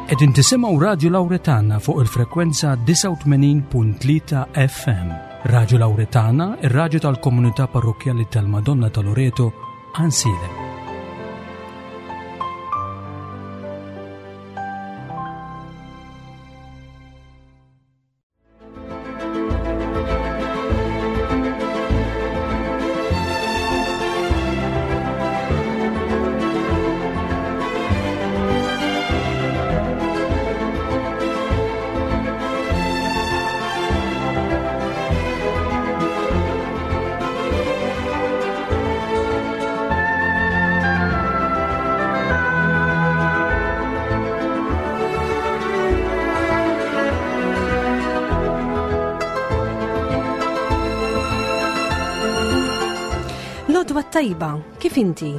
Qegħdin tisimgħu Radju Lawretana fuq il-frekwenza 89.3 FM. Radju Lawretana, ir-radju tal-komunità parrokkjali tal-Madonna ta' Loreto, Ansilem. L-odwa tajba, kif inti?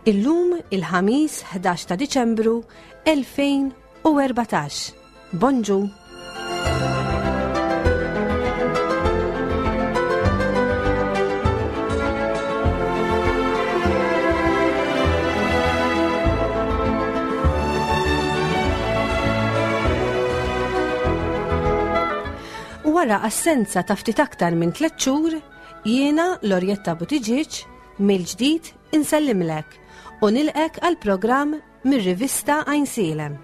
Illum il-ħamis 11 ta' Diċembru 2014. Bonġu! Wara assenza ta' ftit aktar minn tliet xhur, jiena Lorjetta Buttigieg mill-ġdid insellimlek u nilqek għal programm mir-rivista Għajnsielem.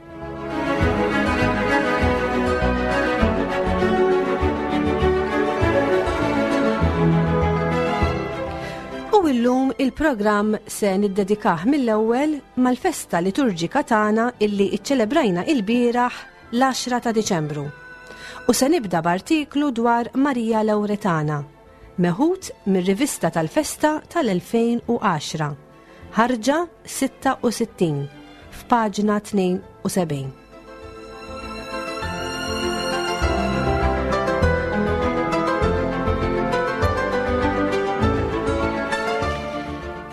U illum il-programm se niddedikah mill-ewwel mal-festa liturġika tagħna illi iċċelebrajna il-bieraħ l-10 ta' Diċembru. U se nibda b'artiklu dwar Marija Lawretana, meħud mir-rivista tal-festa tal-2010. Ħarġa 66, f'paġna 72.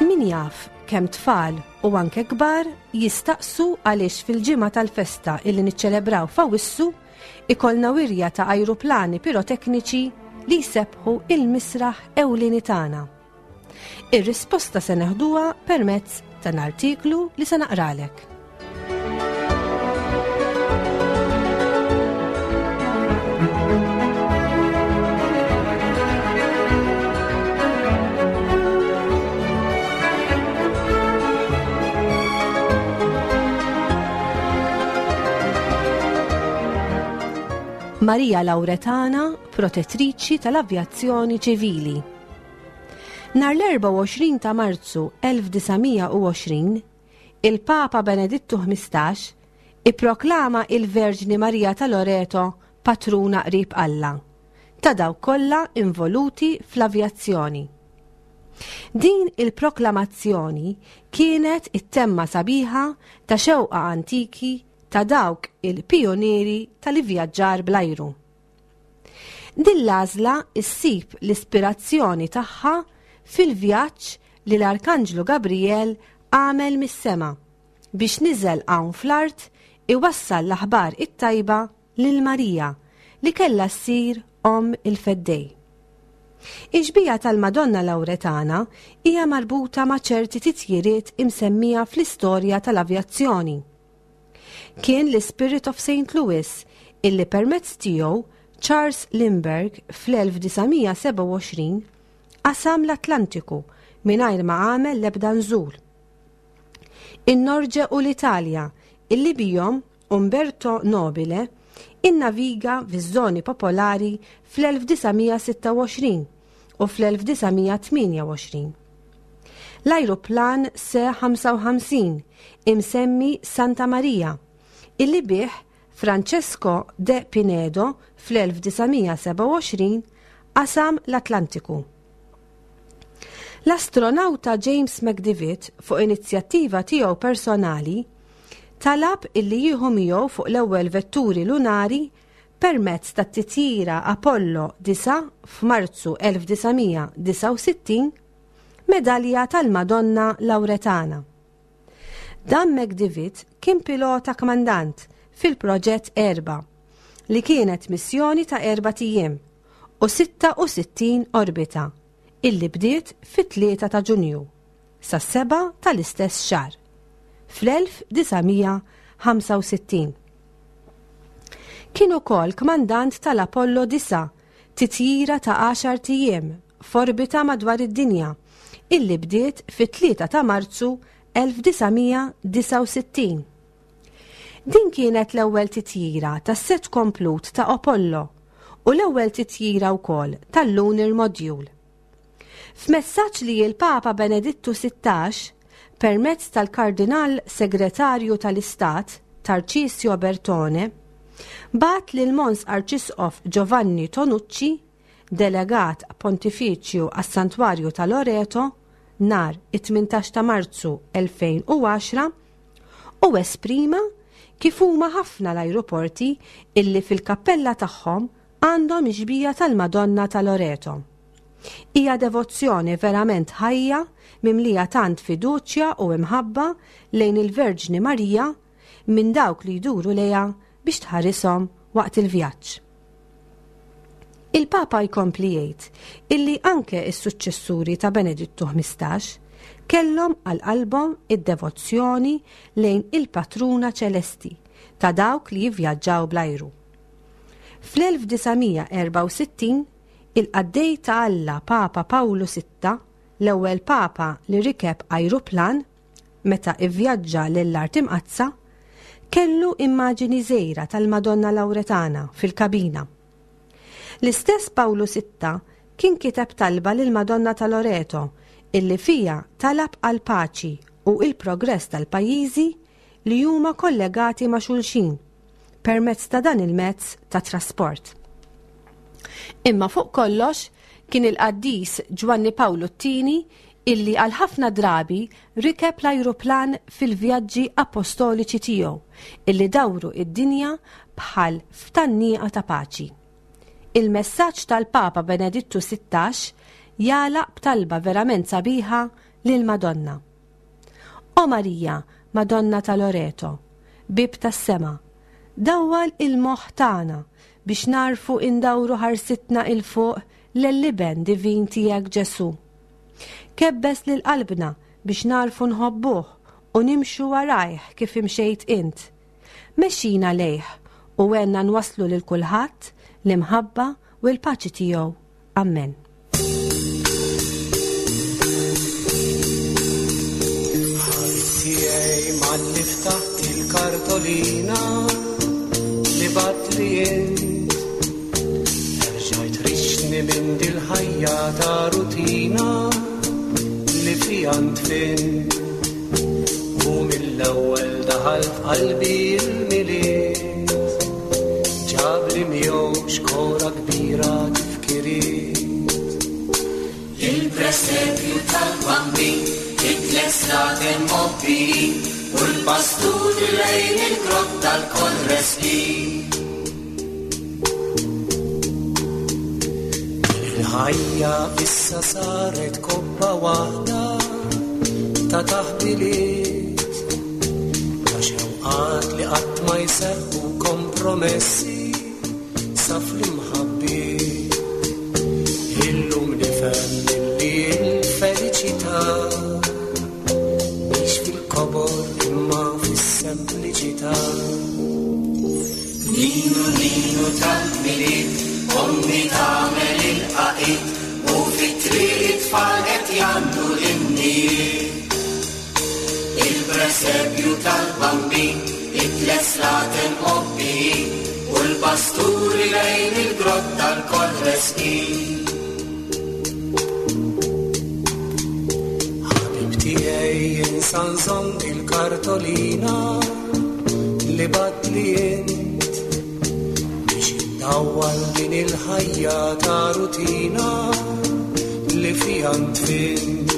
Min jaf kemm tfal u anke kbar jistaqsu għaliex fil-ġimgħa tal-festa illi niċċelebraw f'Awissu ikollna wirja ta' ajruplani pirotekniċi li jsebbħu il-misraħ ewlieni tagħna. Ir-risposta se neħduha permezz ta' artiklu li se naqralek. Maria Lauretana, protettriċi tal-avjazzjoni ċivili. Nhar l-24 ta' Marzu 1920, il-Papa Benedittu 15 ipproklama il-Verġni Marija ta' Loreto patruna qrib Alla, ta' dawk kollha involuti fl-avjazzjoni. Din il-proklamazzjoni kienet it-temma sabiħa ta' xewqa antiki ta' dawk il-pijunieri tal-ivvjaġġar bl-ajru. Din l-għażla ssib l-ispirazzjoni tagħha fil-vjaġġ li l-Arkanġlu Gabrijel għamel mis-sema biex niżel hawn fl-art iwassal l-aħbar it-tajba lil Marija li kellha ssir omm il-Feddej. Ix-xbieha tal-Madonna Lawretana hija marbuta ma' ċerti titjiriet imsemmija fl-istorja tal-avjazzjoni. Kien l-Spirit of St. Louis illi permezz tiegħu Charles Lindbergh fl-1927 qasam l-Atlantiku mingħajr ma għamel l-ebda nżul. In-Norġe u l-Italja illi bihom Umberto Nobile innaviga fiż-żoni popolari fl-1926 u fl-1928. L-ajruplan Se-55 imsemmi Santa Maria, illi bih Francesco de Pinedo fl-1927 qasam l-Atlantiku. L-astronawta James McDivitt fuq inizjattiva tiegħu personali talab illi jieħu miegħu fuq l-ewwel vetturi lunari permezz tat-titjira Apollo 9 f'Marzu 1969, medalja tal-Madonna Lawretana. Dan McDivitt kien pilota kmandant fil-Proġett Erba, li kienet missjoni ta' erbat ijiem u 66 orbita illi bdiet fit-3 ta' Ġunju sas-7 tal-istess xahar, fl-1965. Kien ukoll kmandant tal-Apollo 9, titjira ta' għaxart ijiem f'orbita madwar id-dinja, illi bdiet fit-3 ta' Marzu 1969. Din kienet l-ewwel titjira tas-sett komplut ta' Apollo u l-ewwel titjira wkoll tal-Lunar Module. F'messaġġ li l-Papa Benedittu 16, permezz tal-Kardinal Segretarju tal-Istat, Tarcisio Bertone, bagħat lil Mons Arċisqof Giovanni Tonucci, Delegat Pontifiċju għas-Santwarju ta' Loreto, nhar it-18 ta' Marzu 2010, u esprima kif huma ħafna l-ajruporti illi fil-kappella tagħhom għandhom ix-xbieha tal-Madonna ta' Loreto. Hija devozzjoni verament ħajja mimlija tant fiduċja u imħabba lejn il-Verġni Marija minn dawk li jduru lejha biex tħarishom waqt il-vjaġġ. Il-Papa jkompli jgħid illi anke s-suċċessuri ta' Benedittu 15 kellhom għal qalbhom id-devozzjoni lejn il-Patruna Ċelesti ta' dawk li jivvjaġġaw bl-ajru. Fl-1964, il-qaddej ta' Alla Papa Pawlu Sitta, l-ewwel Papa li rikeb ajruplan meta ivvjaġġa lill-Art Imqaddsa, kellu immaġini żgħira tal-Madonna Lawretana fil-kabina. L-istess Pawlu Sitta kien kiteb talba lill-Madonna ta' Loreto illi fiha talab għall-paċi u l-progress tal-pajjiżi li huma kollegati ma' xulxin permezz ta' dan il-mezz ta' trasport. Imma fuq kollox kien il-qaddis Ġwanni Pawlu t-Tieni illi għal ħafna drabi rikeb l-ajruplan fil-vjaġġi apostoliċi tiegħu illi dawru id-dinja bħal f'tannieqa ta' paċi. Il-messaġġ tal-Papa Benedittu 16 jagħlaq b'talba verament sabiħa lill-Madonna. O Marija, Madonna ta' Loreto, bieb tas-sema, dawwal il-moħħ tagħna biex nagħrfu indawru ħarsitna 'il fuq lell-Iben divin tiegħek Ġesù. Kebbes lil qalbna biex nagħrfu nħobbuh u nimxu warajh kif imxejt int. Mexxina lejh u għenna nwasslu lil kulħadd l-imħabba u l-paċi tiegħu. Ammen. Tiegħi malli ftaħt il-kartolina li bat li int. Erġajt rixni minn dil-ħajja ta' rutina li fija ntfint. U mill-ewwel daħal f'qalbi l-milied. Ġabli miegħu xkora kbira tifkiriet. Il-presepju tal-Bambin, it-tliet slaten mgħobbijin, u l-pasturi lejn il-grotta lkoll resqin. Il-ħajja issa saret kobba waħda ta' taħbiliet, ta' xewqat li qatt ma jseħħu kompromessi sa fl-imħabbiet. Illum nifhem li l-feliċità mhix fil-kobor imma fis-sempliċità. Ninu ninu tal-Milied, ommi tagħmel il-qaqid, u fit-triq it-tfal qed jgħannu l-innijiet. Il-presepju tal-Bambin, it-tliet slaten mgħobbijin, u l-pasturi lejn il-grotta lkoll resqin. Ħabib tiegħi insa nżomm il-kartolina li batli int biex indawwal din il-ħajja ta' rutina li fiha ntfint.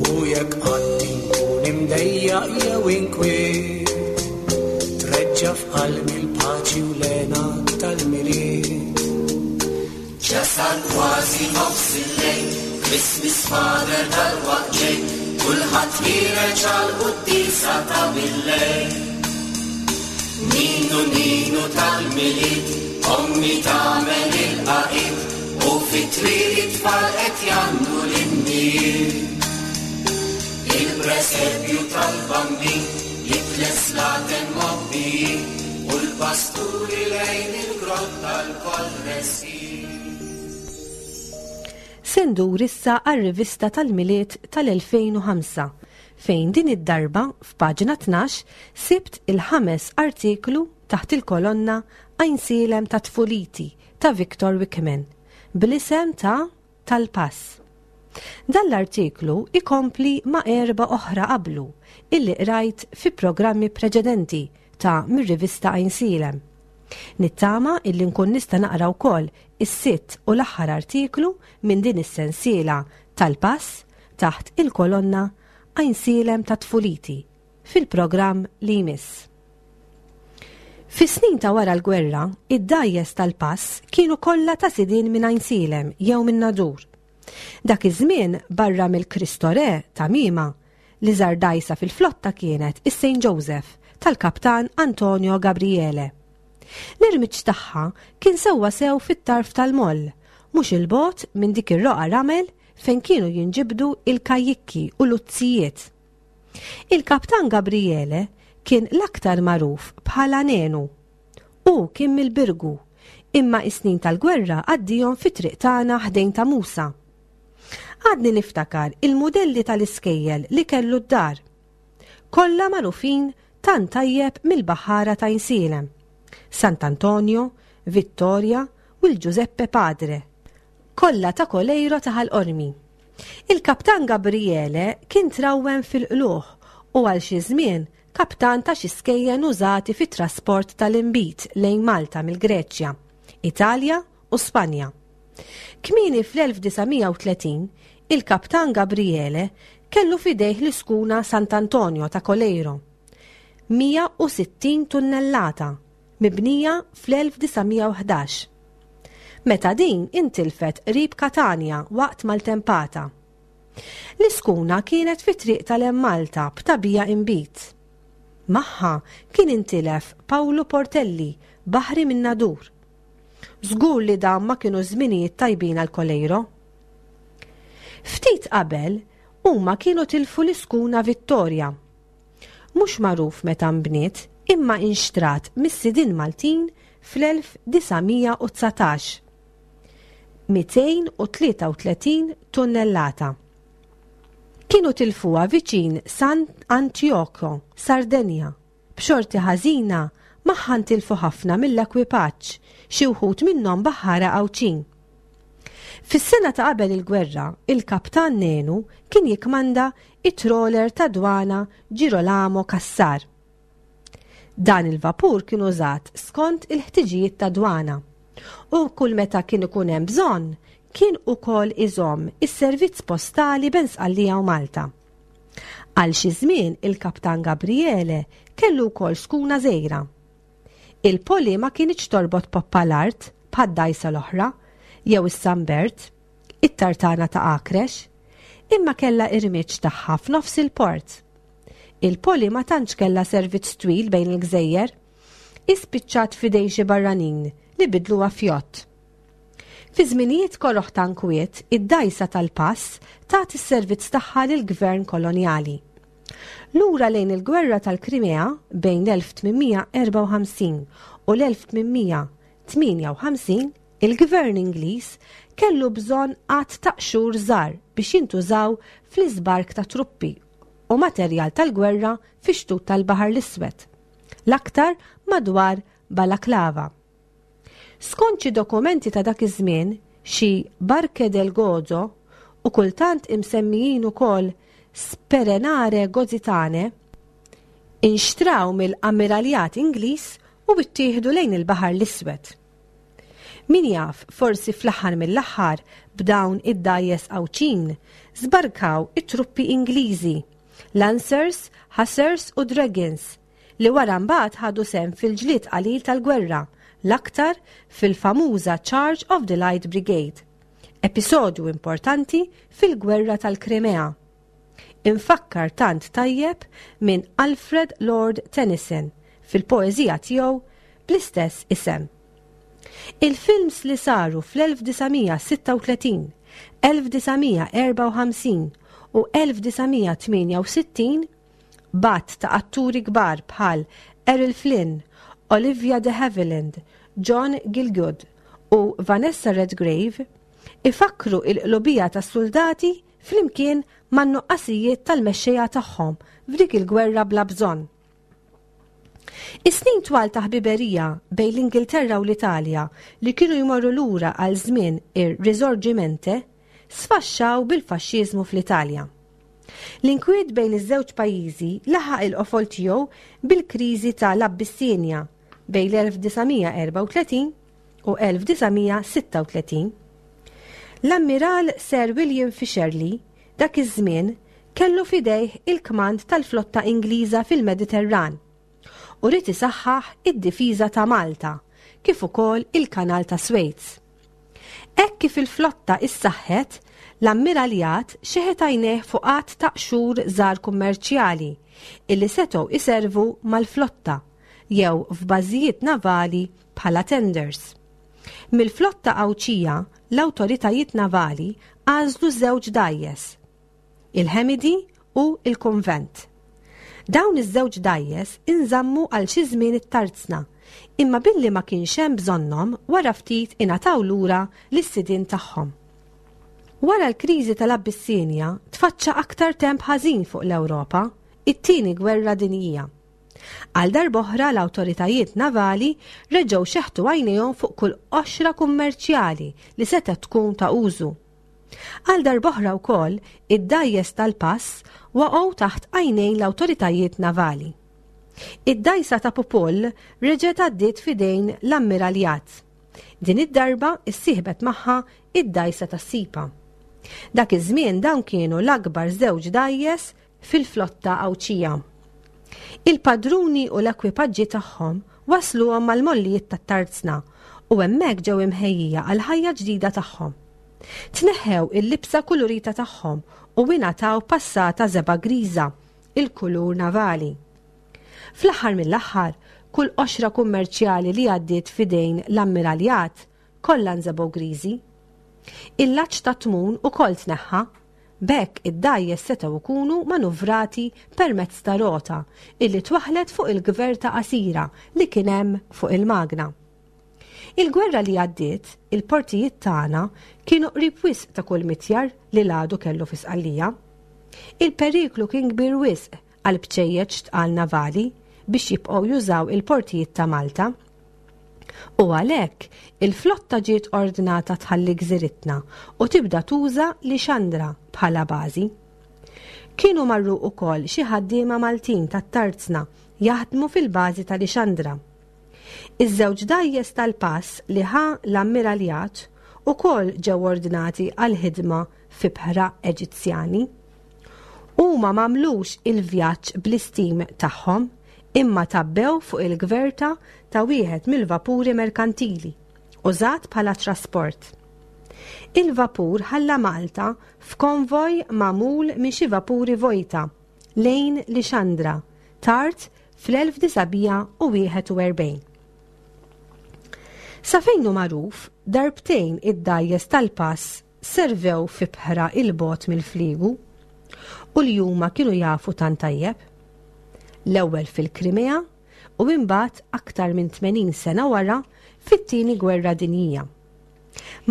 U jekk qatt inkun imdejjaq jew inkwiet, treġġa' f'qalbi l-paċi u l-hena tal-Milied. Jasal kważi nofs il-lejl, Christmas Father dalwaqt ġej, kulħadd ħiereġ għall-quddiesa ta' bil-lejl. Ninu ninu tal-Milied, ommi tagħmel il-qaqid, u fit-triq it-tfal qed jgħannu l-innijiet. Il-presepju tal-Bambin, it-tliet slaten mgħobbijin, u l l-pasturi lejn il-grotta lkoll resqin. Se ndur issa għar-rivista tal-Milied tal-2005 fejn din id-darba f'paġna 12 sibt il-ħames artiklu taħt il-kolonna Għajnsielem ta' Tfuliti ta' Victor Wickman bl-isem ta' Tal-Pass. Dan l-artiklu ikompli ma' erbgħa oħra qablu illi qrajt fi programmi preċedenti ta' mir-rivista Għajnsielem. Nittama illi nkun nista' naqra wkoll is-sitt u l-aħħar artiklu minn din is-sensiela Tal-Pass taħt il-kolonna Għajnsielem ta' Tfuliti fil-programm li jmiss. Fis-snin ta' wara l-gwerra, id-dgħajjes tal-pass kienu kollha ta' sidien minn Għajnsielem jew minn Nadur. Dak iż-żmien, barra mill-Cristo Re ta' Mima, l-iżgħar dgħajsa fil-flotta kienet is-Saint Joseph tal-Kaptan Antonio Gabriele. L-irmiġġ tagħha kien sewwa sew fit-tarf tal-moll, mhux 'il bogħod minn dik ir-roqgħa ramel fejn kienu jinġibdu l-kajjikki u l-uzzijiet. Il-Kaptan Gabriele kien l-aktar magħruf bħala Nenu. Hu kien mill-Birgu, imma is-snin tal-gwerra għaddihom fit-triq tagħna ħdejn ta' Musa. Għadni niftakar il-mudelli tal-iskejjel li kellu d-dar. Kollha magħrufin tant tajjeb mill-baħħara ta' Għajnsielem, Sant'Antonio, Vittoria u l-Giuseppe Padre, kollha ta' Coleiro ta' Ħal Qormi. Il-Kaptan Gabriele kien trawwem fil-qlugħ u għal xi żmien kaptan ta' xi skejjen użati fit-trasport tal-inbid lejn Malta mill-Greċja, Italja u Spanja. Kmieni fl-1930, il-Kaptan Gabriele kellu f'idejh l-iskuna Sant'Antonio ta' Coleiro, 160 tunnellata, mibnija fl-1911. Meta din intilfet qrib Katanja waqt maltempata. L-iskuna kienet fit-triq tal-Hemm Malta b'tagħbija inbid. Magħha kien intilef Pawlu Portelli, baħri min-Nadur. Żgur li dawn ma kinux żminijiet tajbin għal Coleiro. Ftit qabel, huma kienu tilfu l-iskuna Vittoria. Mhux magħruf meta nbniet imma inxtrat mis-sidien Maltin fl-1919. 233 tunnellata. Kienu tilfuha viċin San Antioco, Sardenja. B'xorti ħażina, magħha ntilfu ħafna mill-ekwipaġġ, xi wħud minnhom baħħara Għawdxin. Fis-sena ta' qabel il-gwerra, il-Kaptan Nenu kien jikkmanda it-trawler tad-dwana Girolamo Cassar. Dan il-vapur kien użat skont il-ħtiġijiet tad-dwana u kull meta kien ikun hemm bżonn kien ukoll iżomm is-servizz postali bejn Sqallija u Malta. Għal xi żmien il-Kaptan Gabriele kellu wkoll skuna żgħira. Il-Poli ma kinitx torbot poppa l-art bħad-dgħajsa l-oħra jew is-San Bert, it-tartana ta' Akrex, imma kellha irmiġġ tagħha f'nofs il-port. Il-Poli ma tantx kellha servizz twil bejn il-gżejjer. Hi spiċċat f'idejn xi barranin li bidluha f'jott. Fi żminijiet koroh ta' nkwiet, id-dgħajsa tal-pass tat is-servizz tagħha lill-gvern kolonjali. Lura lejn il-Gwerra tal-Krimea bejn l-1854 u l-1858, Il-Gvern Ingliż kellu bżonn għadd ta' qxur żgħar biex jintużaw fl-iżbark ta' truppi u materjal tal-gwerra fix-xtut tal-Baħar l-Iswed, l-aktar madwar Balaklava. Skont xi dokumenti ta' dak iż-żmien, xi Barche del Gozo, u kultant imsemmijin ukoll Sperenare Gozitane, inxtraw mill-Ammiraljat Ingliż u ttieħdu lejn il-Baħar l-Iswed. Min jaf, forsi fl-aħħar mill-aħħar b'dawn id-dgħajjes Għawdxin żbarkaw it-truppi Ingliżi, Lancers, Hussars u Dragons, li wara mbagħad ħadu sehem fil-ġlied qalil tal-gwerra, l-aktar fil-famuża Charge of the Light Brigade, episodju importanti fil-Gwerra tal-Krimea. Imfakkar tant tajjeb minn Alfred Lord Tennyson fil-poeżija tiegħu bl-istess isem. Il-films li saru fl-1936, 1954 u 1968 b'għadd ta' atturi kbar bħal Errol Flynn, Olivia de Havilland, John Gielgud u Vanessa Redgrave, ifakkru l-qlubija tas-suldati flimkien man-nuqqasijiet tal-mexxejja tagħhom f'dik il-gwerra bla bżonn. Is-snin twal ta' ħbiberija bejn l-Ingilterra u l-Italja li kienu jmorru lura għal żmien ir-Risorgimente sfaxxaw bil-faxxiżmu fl-Italja. L-inkwiet bejn iż-żewġ pajjiżi laħaq il-qofol tiegħu bil-kriżi ta' l-Abbissinja bejn l-1934 u 1936. L-Ammiral Sir William Fisherly dak iż-żmien kellu f'idejh il-kmand tal-flotta Ingliża fil-Mediterran u ried isaħħaħ id-difiża ta' Malta kif ukoll il-Kanal ta' Swejz. Hekk kif il-flotta issaħħet, l-Ammiraljat xeħet għajnejh fuq għadd ta' qxur żgħar kummerċjali illi setgħu iservu mal-flotta jew f'bażijiet navali bħala tenders. Mill-flotta Għawdxija, l-awtoritajiet navali għażlu żewġ dgħajjes, il-Hemidi u l-Kunvent. Dawn iż-żewġ dgħajjes inżammu għal xi żmien it-tarzna, imma billi ma kienx hemm bżonnhom wara ftit ingħataw lura lis-sidien tagħhom. Wara l-kriżi tal-Abbissinja tfaċċa aktar temp ħażin fuq l-Ewropa, it-Tieni Gwerra Dinjija. Għal darb'oħra l-awtoritajiet navali reġgħu xeħtu għajnejhom fuq kull qoxra kummerċjali li setgħet tkun ta' użu. Għal darb'oħra wkoll, id-dgħajjes tal-pass waqgħu taħt għajnejn l-awtoritajiet navali. Id-dgħajsa ta' Pupull reġgħet għaddiet f'idejn l-Ammiraljat. Din id-darba issieħbet magħha id-dgħajsa tas-Sipa. Dak iż-żmien dawn kienu l-akbar żewġ dgħajjes fil-flotta Għawdxija. Il-padruni u l-ekwipaġġi tagħhom wassluhom mal-mollijiet tat-tarzna u hemmhekk ġew imħejjija għall-ħajja ġdida tagħhom. Tneħħew il-libsa kulurita tagħhom u ingħataw passata żebgħa griża, il-kulur navali. Fl-aħħar mill-aħħar, kull qoxra kummerċjali li għaddiet f'idejn l-Ammiraljat kollha nżebgħu griżi. Il-laċċ tat-tmun ukoll tneħħa B'hekk id-dgħajjes setgħu jkunu manuvrati permezz ta' rota illi twaħħlet fuq il-gverta qasira li kien hemm fuq il-magna. Il-gwerra li għaddiet, il-portijiet tagħna kienu qrib wisq ta' kull mitjar li l-għadu kellu fi Sqallija. Il-periklu kien kbir wisq għal bċejjeċ tqal navali biex jibqgħu jużaw il-portijiet ta' Malta. U għalhekk, il-flotta ġiet ordnata tħalli gżiritna u tibda tuża Lixandra bħala bażi. Kienu marru wkoll xi ħaddiema Maltin tat-tarzna jaħdmu fil-bażi ta' Lixandra. Iż-żewġ dgħajjes tal-pass li ħa l-Ammiraljat ukoll ġew ordnati għall-ħidma f'ibħra Eġizzjani. Huma m'għamlux il-vjaġġ bl-istim tagħhom imma tgħabbew fuq il-gverta ta' wieħed mill-vapuri merkantili, użat bħala trasport. Il-vapur ħalla Malta f'konvoj magħmul minn xi vapuri vojta lejn Lixandra tard fl-1941. Sa fejn hu magħruf, darbtejn id-dgħajjes tal-pass servew f'ibħra 'l bogħod mill-fliegu u li huma kienu jafu tant tajjeb. L-ewwel fil-Krimea u imbagħad aktar minn 80 sena wara fit-Tieni Gwerra Dinjija.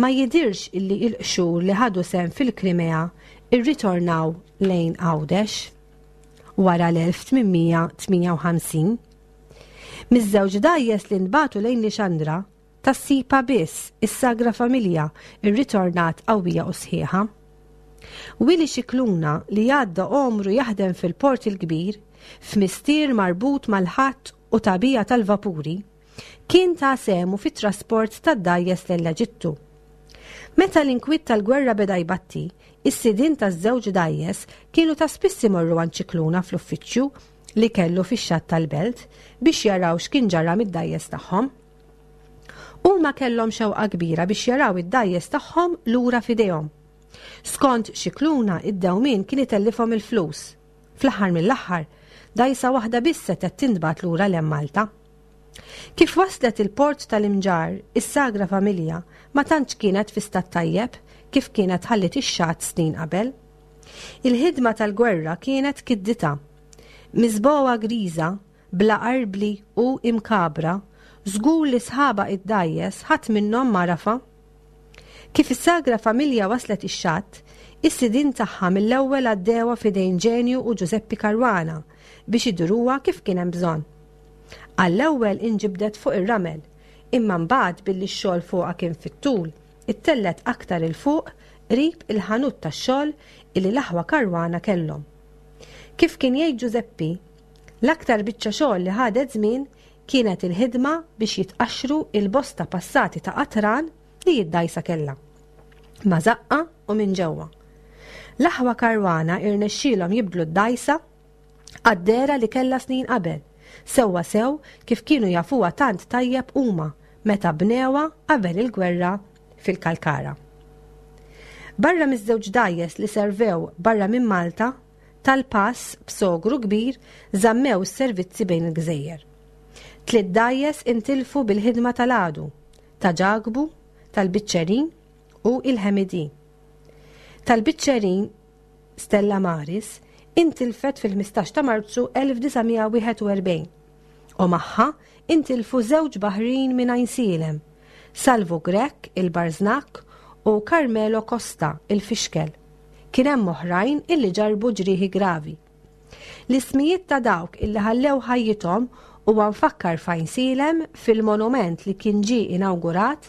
Ma jidhirx illi l-qxur li ħadu sehem fil-Krimea rritornaw lejn Għawdex wara l-1858. Miż-żewġ dgħajjes li ntbagħtu lejn Lixandra, Tas-Sipa biss, is-Sagra Familja rritornat qawwija u sħiħa. Willy Scicluna li għadda għomru jaħdem fil-Port il-Kbir, f'mistier marbut mal-ħatt u tagħbija tal-vapuri, kien ta sehmu fit-trasport tad-dgħajjes lejn l-Eġittu. Meta l-inkwiet tal-gwerra beda jbatti, is-sidien taż-żewġ dgħajjes kienu ta' spiss imorru għand Scicluna fl-uffiċċju li kellu fix-xatt tal-Belt biex jaraw x'kien ġara mid-dgħajjes tagħhom. Huma kellhom xewqa kbira biex jaraw id-dgħajjes tagħhom lura f'idejhom. Skont Scicluna, id-dewmien kien itellifhom il-flus. Fl-aħħar mill-aħħar, dgħajsa waħda biss setgħet tintbagħat lura 'l hemm Malta. Kif waslet il-port tal-Imġarr, is-Sagra Familja ma tantx kienet fi stat tajjeb kif kienet ħalliet ix-xatt snin qabel. Il-ħidma tal-gwerra kienet kidditha. Miżbogħa griża. bla arbli u imkagħbra, żgur li sħabha id-dgħajjes ħadd minnhom m'għarafha. Kif is-Sagra Familja waslet ix-xatt, is-sidien tagħha mill-ewwel għaddewha f'idejn Ġenju u Ġużeppi Caruana biex iduruha kif kien hemm bżonn. Għall-ewwel inġibdet fuq ir-ramel, imma mbagħad billi x-xogħol fuqha kien fit-tul, ittellgħet aktar 'il fuq qrib il-ħanut tax-xogħol illi l-aħwa Caruana kellhom. Kif kien jgħid Ġużeppi, l-aktar biċċa xogħol li ħadet żmien kienet il-ħidma biex jitqaxxru il-bosta passati ta' qatran li d-dgħajsa kellha. Ma' żaqqha u minn ġewwa. L-aħwa Caruana irnexxielhom jibdlu d-dgħajsa għad-dehra li kellha snin qabel, sewwa sew kif kienu jafuha tant tajjeb huma meta bnewha qabel il-gwerra fil-Kalkara. Barra miż-żewġ dgħajjes li servew barra minn Malta, tal-pass b'sogru kbir żammew is-servizzi bejn il-gżejjer. Tliet dgħajjes intilfu bil-ħidma tal-għadu, ta' Ġakbu, tal-Biċċerin u il-Ħemidi. Tal-Biċċerin Stella Maris intilfet fil-15 ta' Marzu 1941 u magħha intilfu żewġ baħrin minn Għajnsielem, Salvu Grech il-Barżnakk u Carmelo Costa il-Fixkel. Kien hemm oħrajn illi ġarrbu ġrieħi gravi. L-ismijiet ta' dawk illi ħallew ħajjithom huwa mfakkar f'Għajnsielem fil-monument li kien ġie inawgurat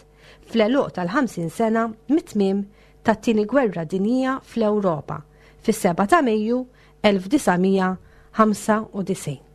fl-għeluq tal-50 sena mit-tmiem tat-Tieni Gwerra Dinjija fl-Ewropa fis-7 ta' Mejju 1995.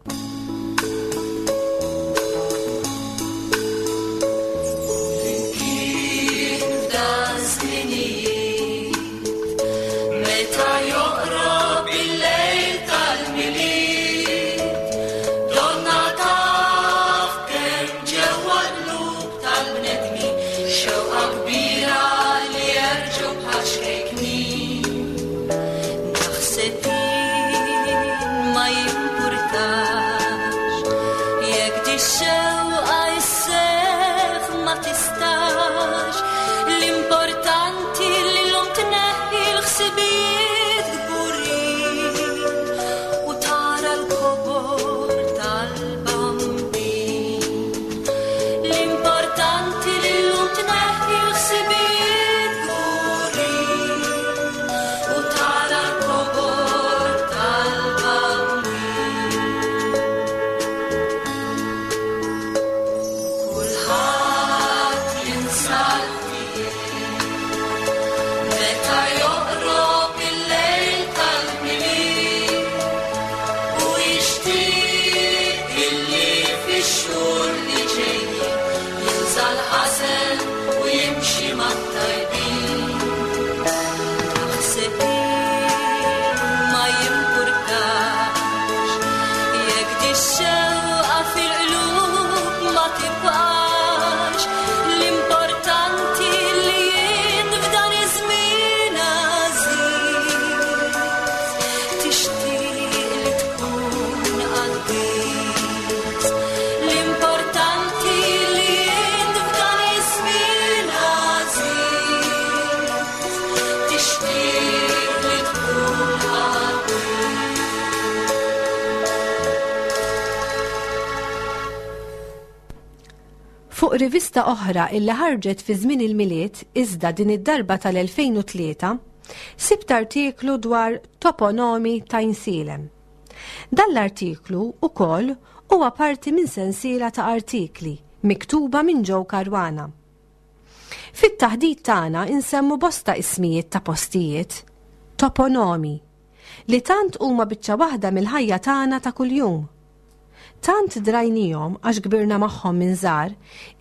Fuq rivista oħra illi ħarġet fi żmien il-Milied iżda din id-darba tal-2003, sibt artiklu dwar toponomi ta' Insielem. Dan l-artiklu ukoll huwa parti minn sensiela ta' artikli miktuba minn Joe Caruana. Fit-taħdit tagħna insemmu bosta ismijiet ta' postijiet, toponomi, li tant huma biċċa waħda mill-ħajja tagħna ta' kuljum. Tant drajnihom għax kbirna magħhom minn żgħar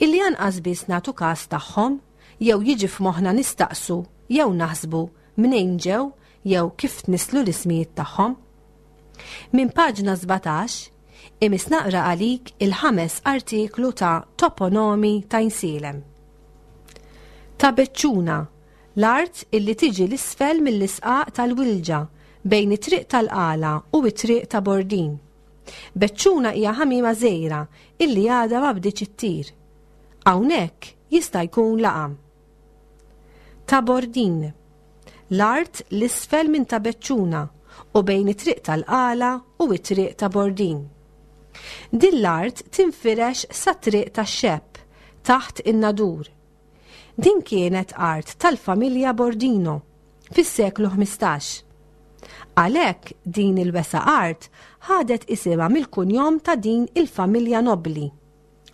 illi anqas biss nagħtu każ tagħhom jew jiġi f'moħħna nistaqsu jew naħsbu mnejn ġew jew kif tnisslu l-ismijiet tagħhom. Minn paġna 17, imiss naqra għalik il-ħames artiklu ta' Toponomi ta' Insielem. Ta' Beċċuna, l-art illi tiġi 'l isfel mill-isqaq tal-Wilġa bejn it-triq tal-Qala u t-triq ta' Bordin. Beċċuna hija ħamiema żgħira illi għadha ma bdietx ittir. Hawnhekk jista' jkun laqam. Ta' Bordin. L-art 'l isfel minn Ta' Beċċuna u bejn it-triq tal-Qala u t-triq ta' Bordin. Din l-art tinfirex sat-triq tax-Xepp, taħt in-Nadur. Din kienet art tal-familja Bordino fis-seklu 15. Għalhekk din il-wesgħa art ħadet isimha mill-kunjom ta' din il-familja nobbli,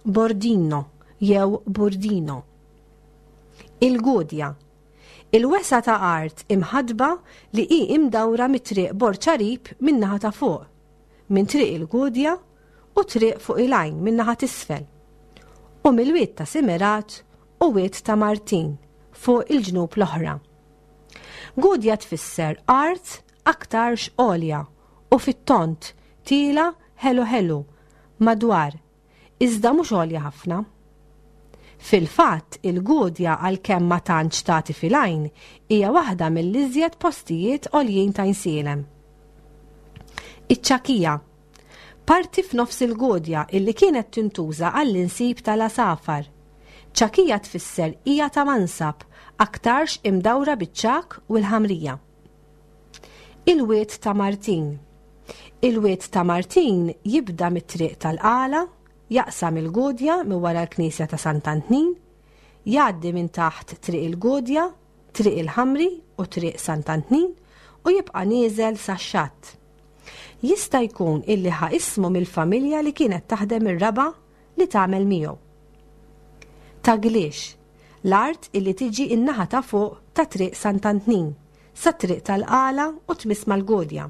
Bordino jew Burdino. Il-Gudja Il-wesgħa ta' art imħaddba li hi imdawra mit-triq Borġ Għarib min-naħa ta' fuq, minn Triq il-Gudja u Triq Fuq il-Għajn min-naħa t'isfel, u mill-Wied ta' Simerat u Wied ta' Martin fuq il-ġnub l-oħra. Gudja tfisser art aktarx għolja u fit-tond, tiela' ħelu ħelu, madwar, iżda mhux għolja ħafna. Fil-fatt, il-Gudja għalkemm ma tantx tagħti fil-għajn, hija waħda mill-iżjed postijiet għoljin t'Għajnsielem. Iċ-Ċakija, parti f'nofs il-Gudja illi kienet tintuża għall-insib tal-għasafar. Ċakija tfisser hija ta' mansab, aktarx imdawra biċ-ċagħak u l-ħamrija. Il-Wied ta' Martin. Il-Wied ta' Martin jibda mit-triq tal-Qala, jaqsam il-Gudja minn wara l-Knisja ta' Sant'Antnin, jgħaddi minn taħt Triq il-Gudja, Triq il-Ħamri u Triq Sant'Antnin u jibqa' nieżel sax-xatt. Jista' jkun illi ħa ismu mill-familja li kienet taħdem ir-raba' li tagħmel miegħu. Ta' Gliex, l-art illi tiġi n-naħa ta' fuq ta' Triq Sant'Antnin, sat-Triq tal-Qala u tmiss mal-Gudja.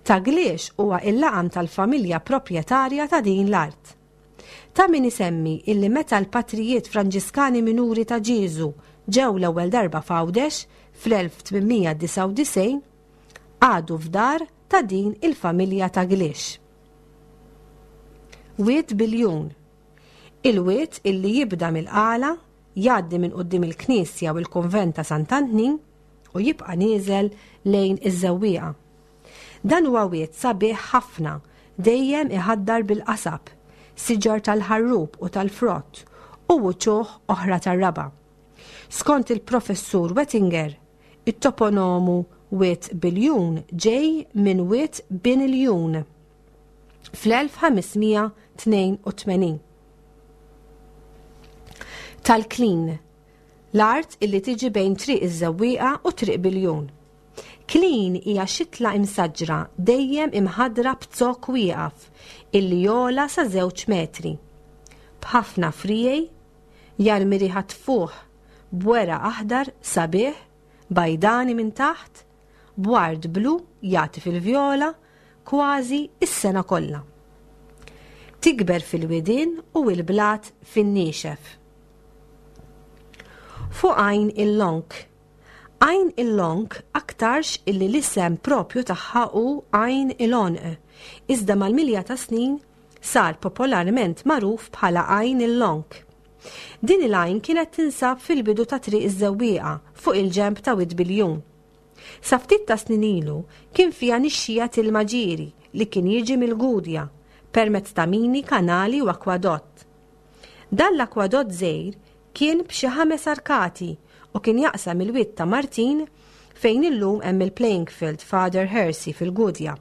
Ta' Gliex huwa il-laqam tal-familja proprjetarja ta' din l-art. Ta' min isemmi illi meta l-patrijiet Franġiskani Minuri ta' Ġieżu ġew l-ewwel darba f'Għawdex fl-1899, qagħdu f'dar ta' din il-familja ta' Gliex. Wied Biljun. Il-wied illi jibda mill-Qala, jgħaddi minn quddiem il-knisja u l-kunvent ta' Sant'Antnin u jibqa' nieżel lejn iż-Żewwieqa. Dan huwa wied sabiħ ħafna, dejjem iħaddar bil-qasab, siġar tal-ħarrub u tal-frott u wċuħ oħra tar-raba'. Skont il-Professur Wettinger, it-toponomu Wied Biljun ġej minn Wied Bin Iljun fl-1582. Tal-Klin, l-art illi tiġi bejn Triq iż-Żewwieqa u Triq Biljun. Klin hija xitla imsaġġra dejjem imħaddra b'zokk wieqaf illi jogħla sa żewġ metri. B'ħafna friegħi, jarmi riħa tfuħ b'weraq aħdar sabiħ, bajdani minn taħt, b'ward blu jagħti fil-vjola kważi s-sena kollha. Tikber fil-widien u l-blat fin-niexef. Fuq Għajn il-Lonk Għajn il-Lonk aktarx illi l-isem propju tagħha hu Għajn il-Għonq, iżda mal-milja tas-snin sar popolarment magħruf bħala Għajn il-Lonk. Din il-għajn kienet tinsab fil-bidu ta' Triq iż-Żewwieqa fuq il-ġenb ta' Wied Biljun. Sa ftit ta' snin ilu kien fiha nixxija t'ilma ġieri li kien jiġi mill-Gudja permezz ta' mini, kanali u akwadott. Dan l-akwadott żgħir kien b'xi ħames arkati u kien jaqsam il-Wied ta' Martin fejn illum hemm il-playing field Father Hersey fil-Gudja.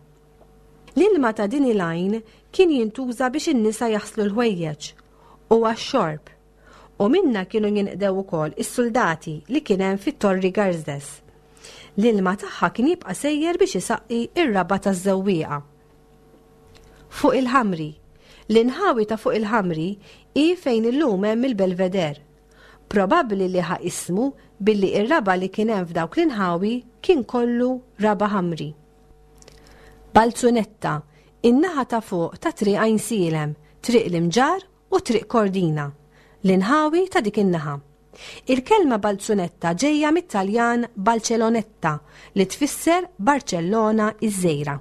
L-ilma ta' din il-għajn kien jintuża biex in-nisa jaħslu l-ħwejjeġ u għax-xorb, u minnha kienu jinqdew ukoll is-suldati li kien hemm fit-Torri Garzdes. L-ilma tagħha kien jibqa' sejjer biex isaqqi r-raba' taż-żewwieqa. Fuq il-Ħamri. L-inħawi ta' fuq il-Ħamri hi fejn illum hemm il-Belvedere. Probabbli li ħa ismu billi r-raba' li kien hemm f'dawk l-inħawi kien kollu raba' ħamri. Balzunetta, in-naħa ta' fuq ta' Triq Għajnsielem, Triq l-Imġarr u Triq Kordina, l-inħawi ta' dik in-naħa. Il-kelma Balzunetta ġejja mit-Taljan Balcelonetta li tfisser Barċellona iż-żgħira.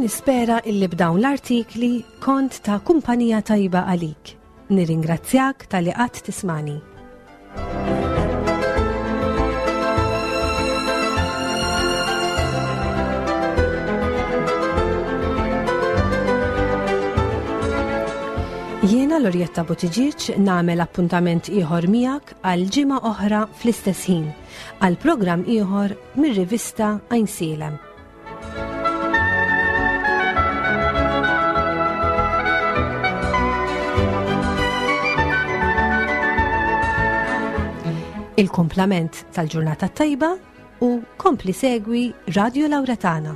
Nispera illi b'dawn l-artikli kont ta' kumpanija tajba għalik. Nirringrazzjak talli qatt tismani. Jiena Lorjetta Buttigieg nagħmel appuntament ieħor miegħek għal ġimgħa oħra fl-istess ħin għal programm ieħor mir-rivista Għajnsielem. Il-kumplament tal-ġurnata tajba u kompli segwi Radio Lauretana.